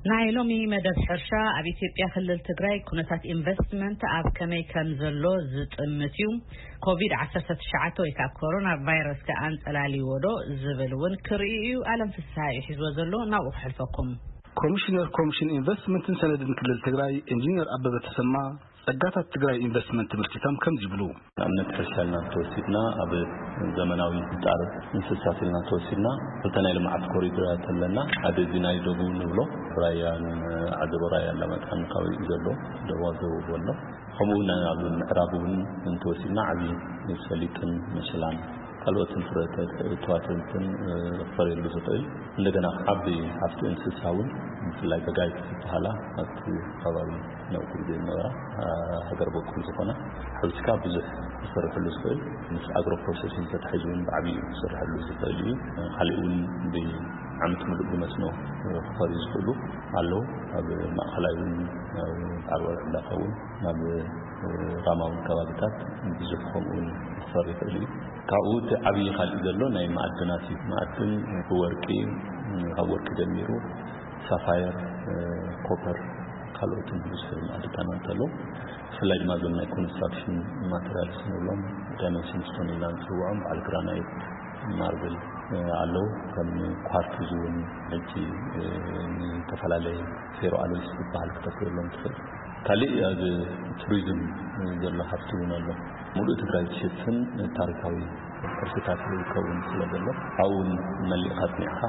ናይ ሎሚ መደብ ሕርሻ ኣብ ኢትዮጵያ ክልል ትግራይ ኩነታት ኢንቨስትመንት ኣብ ከመይ ከም ዘሎ ዝጥምት እዩ። ኮቪድ ዓሰርተ ትሽዓተ ወይ ከዓ ኮሮና ቫይረስ ከኣ ኣንጸላልይዎ ዶ ዝብል እውን ክርኢ እዩ። ኣለም ፍስሃ እዩ ሒዝዎ ዘሎ፣ ናብኡ ክሕልፈኩም። ኮሚሽነር ኮሚሽን ኢንቨስትመንትን ሰነድን ክልል ትግራይ ኢንጂነር ኣበበ ተሰማ ጸጋታት ትግራይ ኢንቨስትመንት ትምህርቲቶም ከምዚ ይብሉ። ንኣብነት ሕርሻ ኢልና ተወሲድና፣ ኣብ ዘመናዊ ጣር እንስሳት ኢልና ተወሲድና፣ ክልተ ናይ ልምዓት ኮሪደራት ኣለና። ሓደ እዚ ናይ ደቡብ ንብሎ፣ ራያን ዓዘቦ ራያ ኣላማጣን ከባቢኡ ዘሎ ደቡብ ደቡብ ኣሎ። ከምኡ እውን ኣብ ምዕራብ እውን እንተወሲድና፣ ዓብዪ ሰሊጥን መሸላን ካልኦትን ፍረታት እትዋትንትን ክፈርየሉ ዝኽእል፣ እንደገና ዓቢ ሃፍቲ እንስሳ እውን፣ ብፍላይ በጋይት ዝበሃላ ኣብቲ ከባቢ ነውኩ ዝነበራ ሃገር በቁል ዝኾና፣ ሓዊስካ ብዙሕ ክሰርሐሉ ዝኽእል፣ ምስ ኣግሮ ፕሮሰሲንግ ተታሒዙ እውን ብዓብዩ ክሰርሐሉ ዝኽእል እዩ። ካሊእ እውን ብዓመት ምሉእ ብመስኖ ክፈርዩ ዝኽእሉ ኣለዉ። ኣብ ማእኸላይ እውን፣ ኣብ ዓርባዊ ዕላታ እውን፣ ናብ ራማውን ከባቢታት ብዙሕ ከምኡ እውን ክፈሪ ይኽእል እዩ። ካብኡ እቲ ዓብዪ ካልእ ዘሎ ናይ ማዕድናት እዩ። ማዕድን ብወርቂ፣ ካብ ወርቂ ጀሚሩ ሳፋየር፣ ኮፐር፣ ካልኦትን ብዙሕ ማዕድናት ኣለዉ። ብፍላይ ድማ እዞም ናይ ኮንስትራክሽን ማቴሪያልስ ንብሎም፣ ዳይመንሽን ስቶን ኢልና ንፅውዖም፣ በዓል ግራናይት፣ ማርብል ኣለዉ። ከም ኳርትዝ እውን ሕጂ ዝተፈላለየ ፌሮ ኣሎይስ ዝበሃል ክተፍርየሎም ትኽእል። ካልእ ኣብ ቱሪዝም ዘሎ ሃፍቲ እውን ኣሎ። ሙሉእ ትግራይ ዝሽፍን ታሪካዊ ቅርስታት ዝከውን ስለ ዘሎ፣ ኣብኡ እውን መሊእካ ኣፅኒዕካ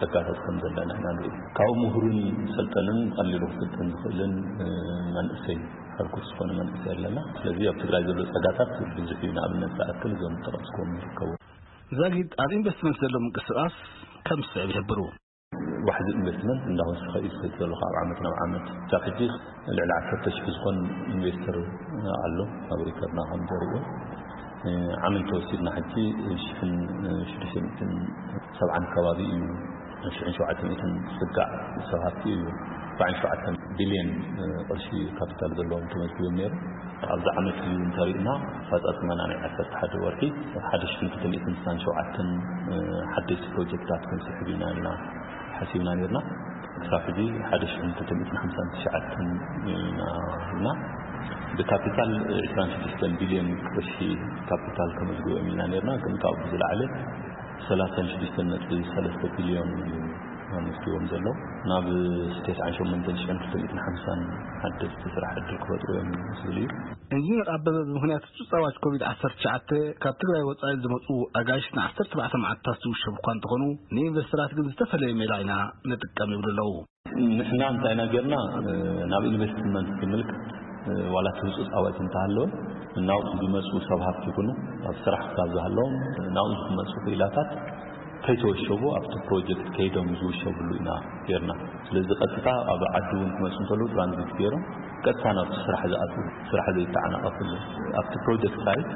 ጸጋታት ከም ዘለና ኢና ንርኢ። ካብኡ ምሁርን ሰልጠንን ቀሊሉ ክስልጥን ዝኽእልን መንእሰይ፣ ሕርኩት ዝኾነ መንእሰይ ኣለና። ስለዚ ኣብ ትግራይ ዘሎ ጸጋታት ብዙሕ እዩ። ንኣብነት ዝኣክል እዞም ጠቐስክዎም ይርከቡ። ዛጊድ ኣብ ኢንቨስትመንት ዘሎ ምንቅስቓስ ከም ዝስዕብ ይሕብሩ። ዋሕዚ ኢንቨስትመንት እንዳወሰኸ እዩ ዝኸይድ ዘሎ ካብ ዓመት ናብ ዓመት። ክሳብ ሕጂ ልዕሊ ዓሰርተ ሽሕ ዝኾን ኢንቨስተር ኣሎ ኣብ ሪከርድና ከም ዘርእዮ። ዓመት ተወሲድና ሕጂ ሽሕን ሽዱሽተ ሚእትን ሰብዓን ከባቢ እዩ፣ ሽሕን ሸውዓተ ሚእትን ዝጽጋዕ ሰብ ሃፍቲ እዩ። ኣርባዓን ሸውዓተን ቢልዮን ቅርሺ ካፒታል ዘለዎም ተመዝጊቦም ነይሩ። ኣብዚ ዓመት እዩ እንተሪእና ኣፈጻጽማና ናይ ዓሰርተ ሓደ ወርሒ ሓደ ሽሕን ክልተ ሚእትን ስሳን ሸውዓተን ሓደሽቲ ፕሮጀክታት ክንስሕብ ኢና ኢልና ሓሲብና ነርና። ክሳብ ሕጂ ሓደ ሽሕን ክልተ ሚእትን ሓምሳን ትሽዓተን ኢና ኢልና። ብካፒታል ዕስራን ሽዱሽተን ቢልዮን ቅርሺ ካፒታል ከመዝግቦም ኢልና ነርና፣ ግን ካብኡ ብዝለዓለ ሰላሳን ሽዱሽተን ነጥቢ ሰለስተ ቢልዮን እዩ ኣመስጊቦም ዘሎ። ናብ ተስዓን ሸሞንተን ሽሕን ክልተ ሚእትን ሓምሳን ሓደስቲ ስራሕ ዕድል ክፈጥሩ እዮም ዝብል እዩ። ኢንጂነር ኣበበ ብምኽንያት እቲ ጻዋጅ ኮቪድ ዓሰርተ ትሽዓተ ካብ ትግራይ ወጻኢ ዝመጹ ኣጋይሽ ንዓሰርተ ኣርባዕተ መዓልታት ዝውሸቡ እኳ እንተኾኑ፣ ንኢንቨስተራት ግን ዝተፈለየ ሜላ ኢና ንጥቀም ይብሉ ኣለዉ። ንሕና እንታይ ኢና ጌርና፣ ናብ ኢንቨስትመንት ዝምልከት ዋላ እቲ ህጹጽ ኣዋጅ እንተሃለወ፣ ናብኡ ዝመጹ ሰብ ሃብቲ ይኹኑ፣ ኣብ ስራሕ ክሳብ ዝሃለዎም ናብኡ ዝመጹ ክኢላታት ከይተወሸቡ ኣብቲ ፕሮጀክት ከይዶም ዝውሸብሉ ኢና ጌርና። ስለዚ ቀጥታ ኣብ ዓዲ እውን ክመጹ እንከለዉ ትራንዚት ገይሮም ቀጥታ ናብቲ ስራሕ ዝኣትዉ፣ ስራሕ ዘይተዓናቐፍሉ፣ ኣብቲ ፕሮጀክት ሳይት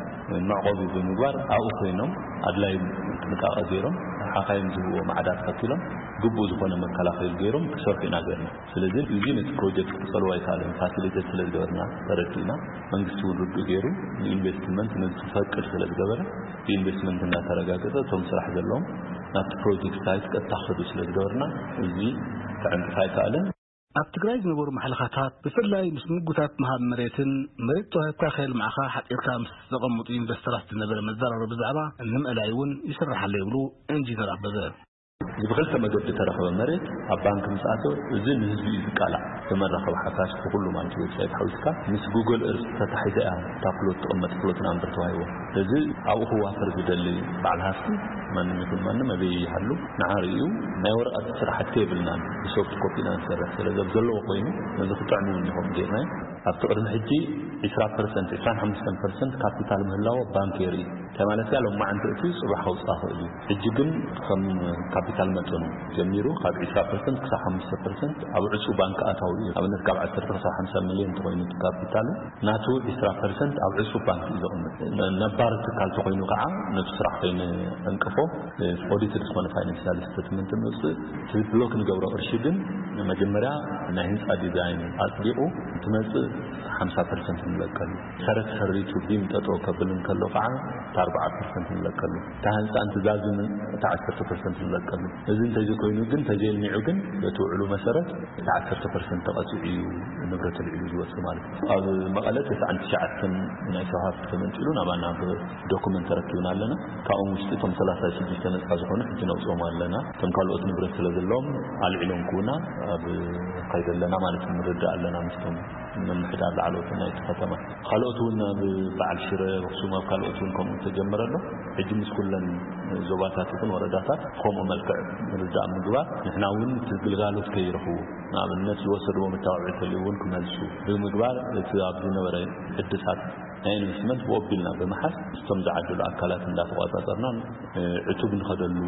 መዕቆቢ ብምግባር ኣብኡ ኮይኖም ኣድላይ ጥንቃቐ ገይሮም ሓኻይም ዝህብዎ ማዕዳ ተኸቲሎም ግቡእ ዝኾነ መከላኸሊ ገይሮም ክሰርሑ ኢና ጌርና። ስለዚ እዚ ነቲ ፕሮጀክት ክጸልዎ ኣይከኣለን። ፋሲሊቴት ስለ ዝገበርና ተረዲእና፣ መንግስቲ እውን ርዱእ ገይሩ ንኢንቨስትመንት ነዚ ክፈቅድ ስለ ዝገበረ፣ ብኢንቨስትመንት እንዳተረጋገጸ እቶም ስራሕ ዘለዎም ናብቲ ፕሮጀክት ሳይት ቀጥታ ክኸዱ ስለ ዝገበርና፣ እዚ ክዕንቅፍ ኣይከኣለን። ኣብ ትግራይ ዝነበሩ ማሕለኻታት ብፍላይ ምስ ምጉታት ምሃብ መሬትን መሬት ተዋሂብካ ከየልማዕኻ ሓፂርካ ምስ ዘቐምጡ ኢንቨስተራት ዝነበረ መዘራረቢ ብዛዕባ ንምእላይ እውን ይስራሕ ኣሎ ይብሉ ኢንጂነር ኣበበ። እዚ ብክልተ መገዲ ተረኸበ መሬት ኣብ ባንክ ምስ ኣተወ፣ እዚ ንህዝቢ እዩ ዝቃላዕ። ብመራኸቢ ሓፋሽ ብኩሉ ማለት ዌብሳይት ሓዊስካ ምስ ጉግል እርስ ተታሒዛ እያ እታ ፕሎት ትቕመጥ፣ ፕሎት ናምበር ተዋሂቦ። ስለዚ ኣብኡ ክዋፈር ዝደሊ በዓል ሃፍቲ ማንም ይኹን ማንም ኣበይ ይሃሉ ንዓ ርእዩ ናይ ወረቐት ስራሕቲ የብልናን፣ ብሶፍት ኮፒ ኢና ንሰርሕ። ስለዚ ኣብ ዘለዎ ኮይኑ ነዚ ክጥዕሙ እውን ይኸውን ጌርናዮ። ኣብቲ ቅድሚ ሕጂ ዕስራ ፐርሰንት፣ ዕስራን ሓሙሽተን ፐርሰንት ካፒታል ምህላዎ ባንክ የርኢ። እንታይ ማለት እያ? ሎማዓንቲ እቲ ጽባሕ ከውጽኣ ክእል እዩ። ሕጂ ግን ከም ካፒታል መጠኑ ጀሚሩ ካብ ዕስራ ፐርሰንት ክሳብ ሓሙሽተ ፐርሰንት ኣብ ዕጹው ባንክ ኣታዊ እዩ። ኣብነት ካብ ዓሰርተ ክሳብ ሓምሳ ሚልዮን እንተኾይኑ እቲ ካፒታሉ፣ ናቱ ዕስራ ፐርሰንት ኣብ ዕጹው ባንክ እዩ ዘቕምጥ። ነ-፣ ነባር ትካል ተኾይኑ ከዓ ነቲ ስራሕ ከይንዕንቅፎ፣ ኦዲትድ ዝኾነ ፋይናንሻል ስቴትመንት ንውፅእ። እቲ ብሎክ ንገብሮ ቅርሺ ግን መጀመርያ ናይ ህንፃ ዲዛይን ኣፅዲቑ እንትመፅእ ሓምሳ ፐርሰንት ንለቀሉ። ሰረት ሰሪቱ ቢም ጠጠው ከብል እንከሎ ከዓ እታ ኣርባዓ ፐርሰንት ንለቀሉ፣ እታ ህንፃ እንትዛዝምን እታ ዓሰርተ ፐርሰንት ንለቀሉ። እዚ እንተዘይኮይኑ ግን፣ እንተዘይልሚዑ ግን፣ በቲ ውዕሉ መሰረት እቲ ዓሰርተ ፐርሰንት ተቐፂዑ እዩ ንብረት ልዒሉ ዝወፅእ ማለት እዩ። ኣብ መቐለ ተስዓን ትሽዓተን ናይ ሰብ ሃፍቲ ተመንጢሉ ናባና ብዶኩመንት ተረኪብና ኣለና። ካብኦም ውሽጢ እቶም ሰላሳ ሽዱሽተ ነፃ ዝኾኑ ሕጂ ነውፅኦም ኣለና። እቶም ካልኦት ንብረት ስለ ዘለዎም ኣልዒሎም ክውና ኣብ ከይደ ኣለና ማለት እዩ። ንርዳእ ኣለና ምስቶም ምምሕዳር ላዕለዎት ናይቲ ከተማ። ካልኦት እውን ኣብ በዓል ሽረ፣ ኣኽሱም፣ ኣብ ካልኦት እውን ከምኡ ተጀመረ ኣሎ። ሕጂ ምስ ኩለን ዞባታት ይኹን ወረዳታት ከምኡ መልክዕ ምርዳእ ምግባር፣ ንሕና እውን እቲ ግልጋሎት ከይረኽቡ፣ ንኣብነት ዝወሰድዎ መታወዒ ተልዩ እውን ክመልሱ ብምግባር፣ እቲ ኣብ ዝነበረ ሕድሳት ናይ ኢንቨስትመንት ብኦቢልና ብምሓዝ፣ ምስቶም ዝዓደሉ ኣካላት እንዳተቋጻጸርና ዕቱብ ንኸደሉ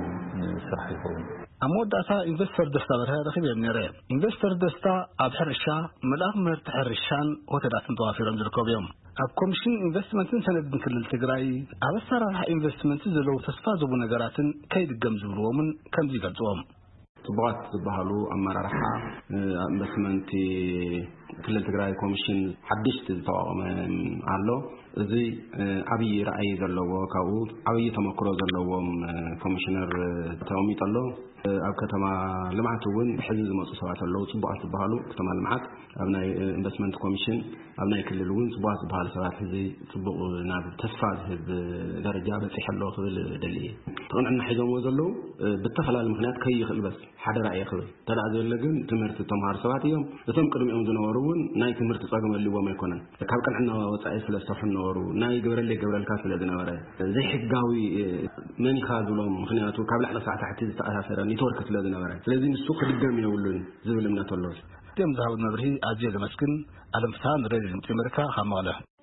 ስራሕ ይኸውን። ኣብ መወዳእታ ኢንቨስተር ደስታ በርሀ ረኺበዮም ነይረ። ኢንቨስተር ደስታ ኣብ ሕርሻ፣ መልኣኽ ምህርቲ ሕርሻን ሆቴላትን ተዋፊሮም ዝርከቡ እዮም። ኣብ ኮሚሽን ኢንቨስትመንትን ሰነድን ክልል ትግራይ ኣብ ኣሰራርሓ ኢንቨስትመንት ዘለዉ ተስፋ ዝህቡ ነገራትን ከይድገም ዝብልዎምን ከምዚ ይገልፅዎም። ጽቡቓት ዝበሃሉ ኣመራርሓ፣ እ፣ ኣብ ኢንቨስትመንት ክልል ትግራይ ኮሚሽን ሓድሽቲ ዝተቋቋመ ኣሎ። እዚ፣ እ፣ ዓብዪ ራዕይ ዘለዎ፣ ካብኡ ዓብዪ ተመክሮ ዘለዎም፣ እ፣ ኮሚሽነር፣ እ፣ ተቐሚጡ ኣሎ። እ፣ ኣብ ከተማ ልምዓት እውን ሕዚ ዝመፁ ሰባት ኣለዉ፣ ጽቡቓት ዝበሃሉ። ከተማ ልምዓት ኣብ ናይ፣ እ፣ ኢንቨስትመንት ኮሚሽን ኣብ ናይ ክልል እውን ጽቡቓት ዝበሃሉ ሰባት ሕዚ ጽቡቕ ናብ ተስፋ ዝህብ ደረጃ በጺሑ ኣሎ ክብል እደሊ እየ። እቲ ቅንዕና ሒዞምዎ ዘለዉ፣ እ፣ ብተፈላለዩ ምኽንያት ከይኽእል በስ ሓደ ራእየ ክብል። እንተ ደኣ ዘየለ ግን ትምህርቲ እተምሃሩ ሰባት እዮም። እቶም ቅድሚኦም ዝነበሩ እውን ናይ ትምህርቲ ጸገም ኣልዎም ኣይኮነን። ካብ ቅንዕና ወጻኢ ስለ ዝሰርሑ ነበሩ። ናይ ግበረለይ ግበረልካ ስለ ዝነበረ፣ ዘይሕጋዊ፣ እ፣ መን ኢኻ ዝብሎም፣ ምኽንያቱ ካብ ላዕሊ ክሳዕ ታሕቲ ዝተኣሳሰረ ኔትወርክ ስለ ዝነበረ። ስለዚ ንሱ ክድገም የብሉን ዝብል እምነት ኣሎ። እዚኦም ዝሃቡ መብርሂ ኣዝየ ዘመስግን። ኣለም ፍስሃ ንሬድዮ ድምጺ ኣሜሪካ ካብ መቐለ።